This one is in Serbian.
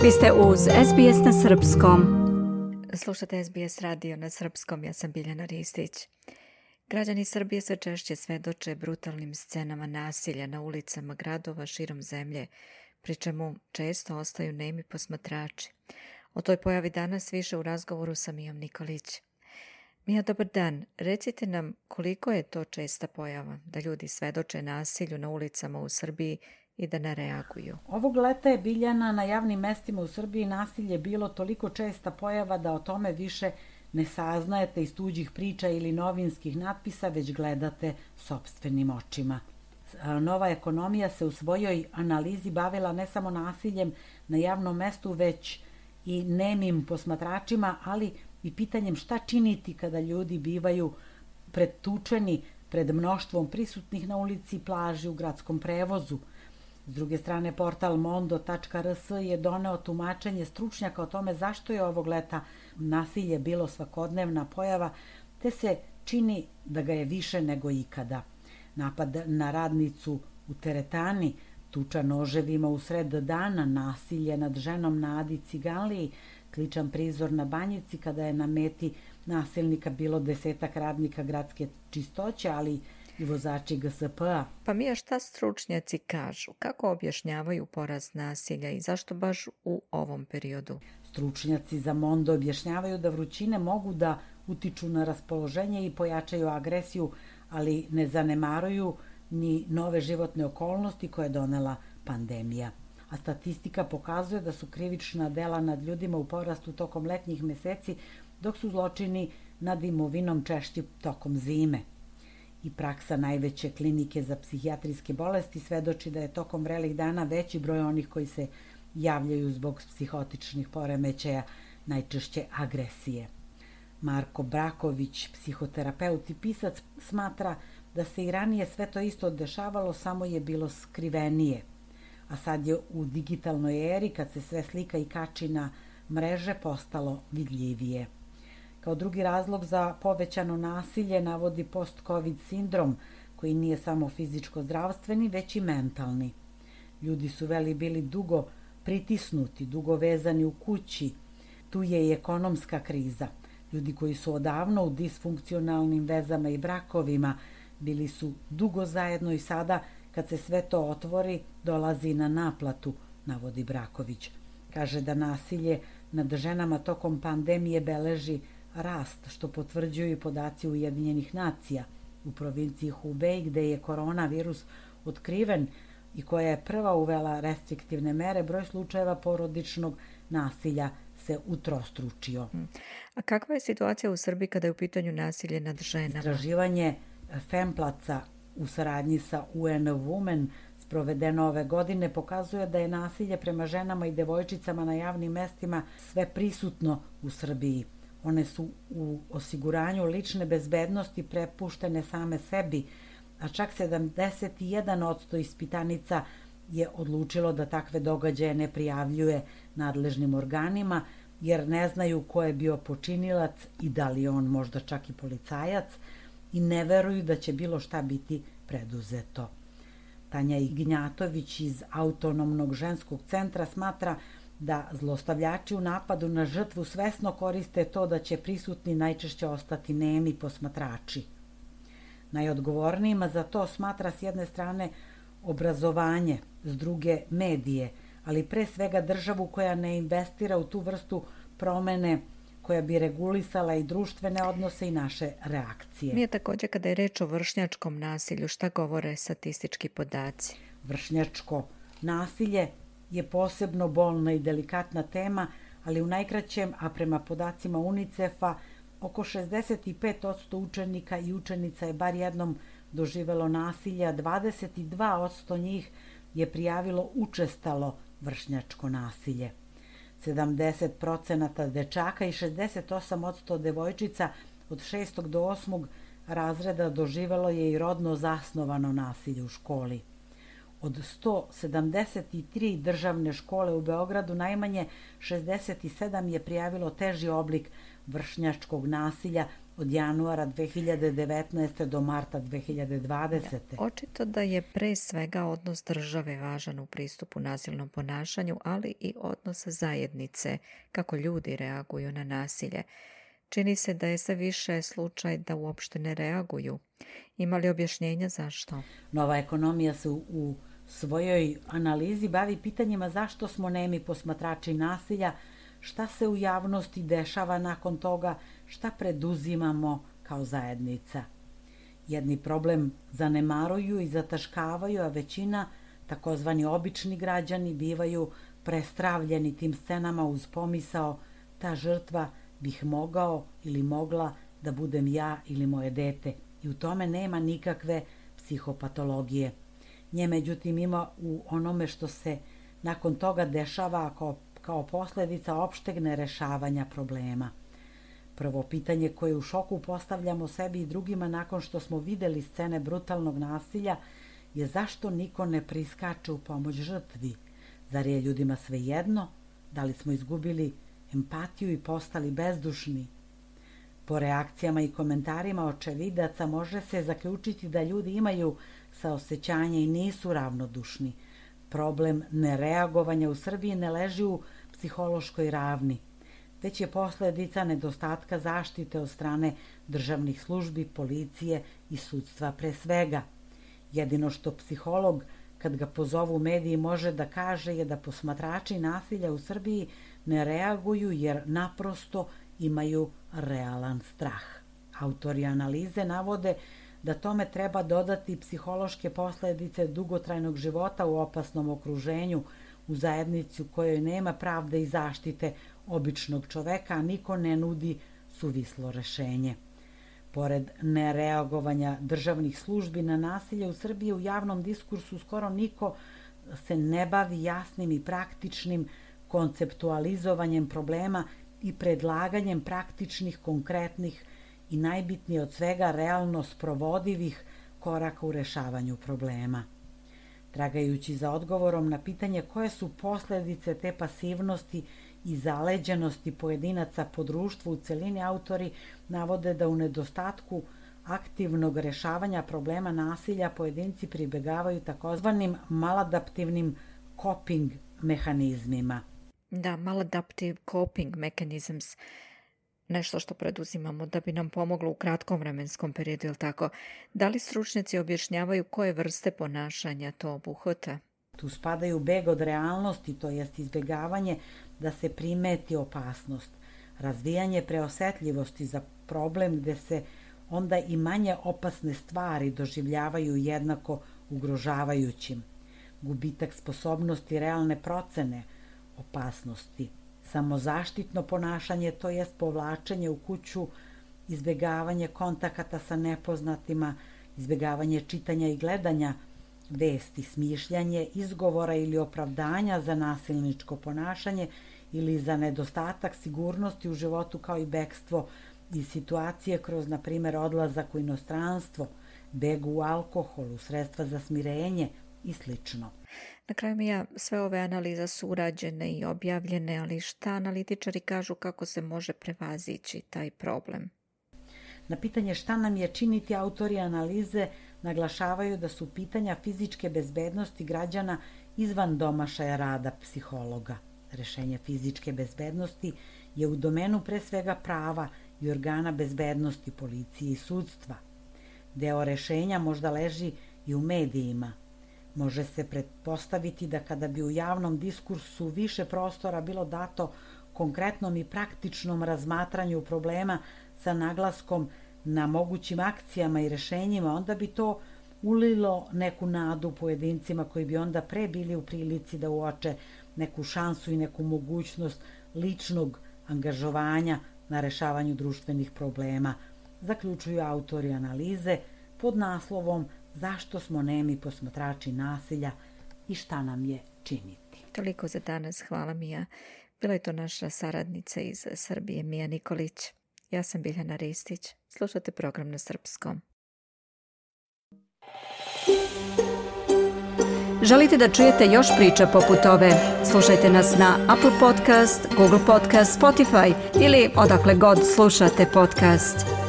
Vi ste uz SBS na Srpskom. Slušate SBS radio na Srpskom, ja sam Biljana Ristić. Građani Srbije sve češće svedoče brutalnim scenama nasilja na ulicama gradova širom zemlje, pri čemu često ostaju nemi posmatrači. O toj pojavi danas više u razgovoru sa Mijom Nikolić. Mija, dobar dan. Recite nam koliko je to česta pojava da ljudi svedoče nasilju na ulicama u Srbiji i da ne reaguju. Ovog leta je, Biljana, na javnim mestima u Srbiji nasilje bilo toliko česta pojava da o tome više ne saznajete iz tuđih priča ili novinskih natpisa, već gledate sopstvenim očima. Nova ekonomija se u svojoj analizi bavila ne samo nasiljem na javnom mestu, već i nemim posmatračima, ali i pitanjem šta činiti kada ljudi bivaju pretučeni pred mnoštvom prisutnih na ulici, plaži, u gradskom prevozu. S druge strane, portal mondo.rs je doneo tumačenje stručnjaka o tome zašto je ovog leta nasilje bilo svakodnevna pojava, te se čini da ga je više nego ikada. Napad na radnicu u teretani, tuča noževima u sred dana, nasilje nad ženom na Adi Ciganliji, sličan prizor na Banjici kada je na meti nasilnika bilo 10 radnika gradske čistoće, ali i vozači GSP-a. Pa Mija, šta stručnjaci kažu? Kako objašnjavaju porast nasilja i zašto baš u ovom periodu? Stručnjaci za Mondo objašnjavaju da vrućine mogu da utiču na raspoloženje i pojačaju agresiju, ali ne zanemaruju ni nove životne okolnosti koje je donela pandemija. A statistika pokazuje da su krivična dela nad ljudima u porastu tokom letnjih meseci, dok su zločini nad imovinom češći tokom zime. I praksa najveće klinike za psihijatrijske bolesti svedoči da je tokom vrelih dana veći broj onih koji se javljaju zbog psihotičnih poremećaja, najčešće agresije. Marko Braković, psihoterapeut i pisac, smatra da se i ranije sve to isto dešavalo, samo je bilo skrivenije. A sad je u digitalnoj eri, kad se sve slika i kači na mreže, postalo vidljivije. Kao drugi razlog za povećano nasilje navodi post-covid sindrom, koji nije samo fizičko-zdravstveni, već i mentalni. Ljudi su bili dugo pritisnuti, dugo vezani u kući. Tu je i ekonomska kriza. Ljudi koji su odavno u disfunkcionalnim vezama i brakovima bili su dugo zajedno i sada, kad se sve to otvori, dolazi na naplatu, navodi Braković. Kaže da nasilje nad ženama tokom pandemije beleži rast, što potvrđuju i podaci Ujedinjenih nacija. U provinciji Hubei, gde je koronavirus otkriven i koja je prva uvela restriktivne mere, broj slučajeva porodičnog nasilja se utrostručio. A kakva je situacija u Srbiji kada je u pitanju nasilje nad ženama? Istraživanje Femplaca u saradnji sa UN Women sprovedeno ove godine pokazuje da je nasilje prema ženama i devojčicama na javnim mestima sve prisutno u Srbiji. One su u osiguranju lične bezbednosti prepuštene same sebi, a čak 71% ispitanica je odlučilo da takve događaje ne prijavljuje nadležnim organima, jer ne znaju ko je bio počinilac i da li je on možda čak i policajac, i ne veruju da će bilo šta biti preduzeto. Tanja Ignjatović iz Autonomnog ženskog centra smatra da zlostavljači u napadu na žrtvu svesno koriste to da će prisutni najčešće ostati nemi posmatrači. Najodgovornijima za to smatra s jedne strane obrazovanje, s druge medije, ali pre svega državu koja ne investira u tu vrstu promene koja bi regulisala i društvene odnose i naše reakcije. Mija, također kada je reč o vršnjačkom nasilju, šta govore statistički podaci? Vršnjačko nasilje je posebno bolna i delikatna tema, ali u najkraćem, a prema podacima UNICEF-a, oko 65% učenika i učenica je bar jednom doživelo nasilje, a 22% njih je prijavilo učestalo vršnjačko nasilje. 70% dečaka i 68% devojčica od 6. do 8. razreda doživelo je i rodno zasnovano nasilje u školi. Od 173 državne škole u Beogradu najmanje 67 je prijavilo teži oblik vršnjačkog nasilja, od januara 2019. do marta 2020. Očito da je pre svega odnos države važan u pristupu nasilnom ponašanju, ali i odnos zajednice, kako ljudi reaguju na nasilje. Čini se da je sve više slučaj da uopšte ne reaguju. Ima li objašnjenja zašto? Nova ekonomija se u svojoj analizi bavi pitanjima zašto smo nemi posmatrači nasilja, šta se u javnosti dešava nakon toga, šta preduzimamo kao zajednica. Jedni problem zanemaruju i zataškavaju, a većina, takozvani obični građani, bivaju prestravljeni tim scenama uz pomisao ta žrtva bih mogao ili mogla da budem ja ili moje dete. I u tome nema nikakve psihopatologije. Nje međutim ima u onome što se nakon toga dešava kao posljedica opšteg nerešavanja problema. Prvo pitanje koje u šoku postavljamo sebi i drugima nakon što smo videli scene brutalnog nasilja je zašto niko ne priskače u pomoć žrtvi. Zar je ljudima svejedno? Da li smo izgubili empatiju i postali bezdušni? Po reakcijama i komentarima očevidaca može se zaključiti da ljudi imaju saosećanje i nisu ravnodušni. Problem nereagovanja u Srbiji ne leži u psihološkoj ravni, već je posljedica nedostatka zaštite od strane državnih službi, policije i sudstva pre svega. Jedino što psiholog, kad ga pozovu mediji, može da kaže je da posmatrači nasilja u Srbiji ne reaguju jer naprosto imaju realan strah. Autori analize navode da tome treba dodati psihološke posljedice dugotrajnog života u opasnom okruženju, u zajednici u kojoj nema pravde i zaštite običnog čoveka, a niko ne nudi suvislo rešenje. Pored nereagovanja državnih službi na nasilje u Srbiji, u javnom diskursu skoro niko se ne bavi jasnim i praktičnim konceptualizovanjem problema i predlaganjem praktičnih, konkretnih i najbitnije od svega realno sprovodivih koraka u rešavanju problema. Tragajući za odgovorom na pitanje koje su posljedice te pasivnosti i zaleđenosti pojedinaca po društvu u celini, autori navode da u nedostatku aktivnog rešavanja problema nasilja pojedinci pribegavaju takozvanim maladaptivnim coping mehanizmima. Da, maladaptive coping mechanisms, nešto što preduzimamo da bi nam pomoglo u kratkom vremenskom periodu, ili tako? Da li stručnjaci objašnjavaju koje vrste ponašanja to obuhvata? Tu spadaju beg od realnosti, to jest izbjegavanje da se primeti opasnost, razvijanje preosetljivosti za problem gde se onda i manje opasne stvari doživljavaju jednako ugrožavajućim, gubitak sposobnosti realne procene opasnosti, samozaštitno ponašanje, to jest povlačenje u kuću, izbjegavanje kontakata sa nepoznatima, izbjegavanje čitanja i gledanja vesti, smišljanje izgovora ili opravdanja za nasilničko ponašanje ili za nedostatak sigurnosti u životu, kao i bekstvo iz situacije kroz, na primjer, odlazak u inostranstvo, beg u alkoholu, sredstva za smirenje i slično. Na kraju, Mija, sve ove analize su urađene i objavljene, ali šta analitičari kažu kako se može prevazići taj problem? Na pitanje šta nam je činiti, autori analize naglašavaju da su pitanja fizičke bezbednosti građana izvan domašaja rada psihologa. Rešenje fizičke bezbednosti je u domenu pre svega prava i organa bezbednosti, policije i sudstva. Deo rešenja možda leži i u medijima. Može se pretpostaviti da kada bi u javnom diskursu više prostora bilo dato konkretnom i praktičnom razmatranju problema sa naglaskom na mogućim akcijama i rešenjima, onda bi to ulilo neku nadu pojedincima koji bi onda pre bili u prilici da uoče neku šansu i neku mogućnost ličnog angažovanja na rešavanju društvenih problema, zaključuju autori analize pod naslovom Zašto smo nemi posmatrači nasilja i šta nam je činiti. Toliko za danas, hvala Mija. Bila je to naša saradnica iz Srbije, Mija Nikolić. Ja sam Biljana Ristić. Slušate program na srpskom. Želite da čujete još priča poput ove? Slušajte nas na Apple Podcast, Google Podcast, Spotify ili odakle god slušate podcast.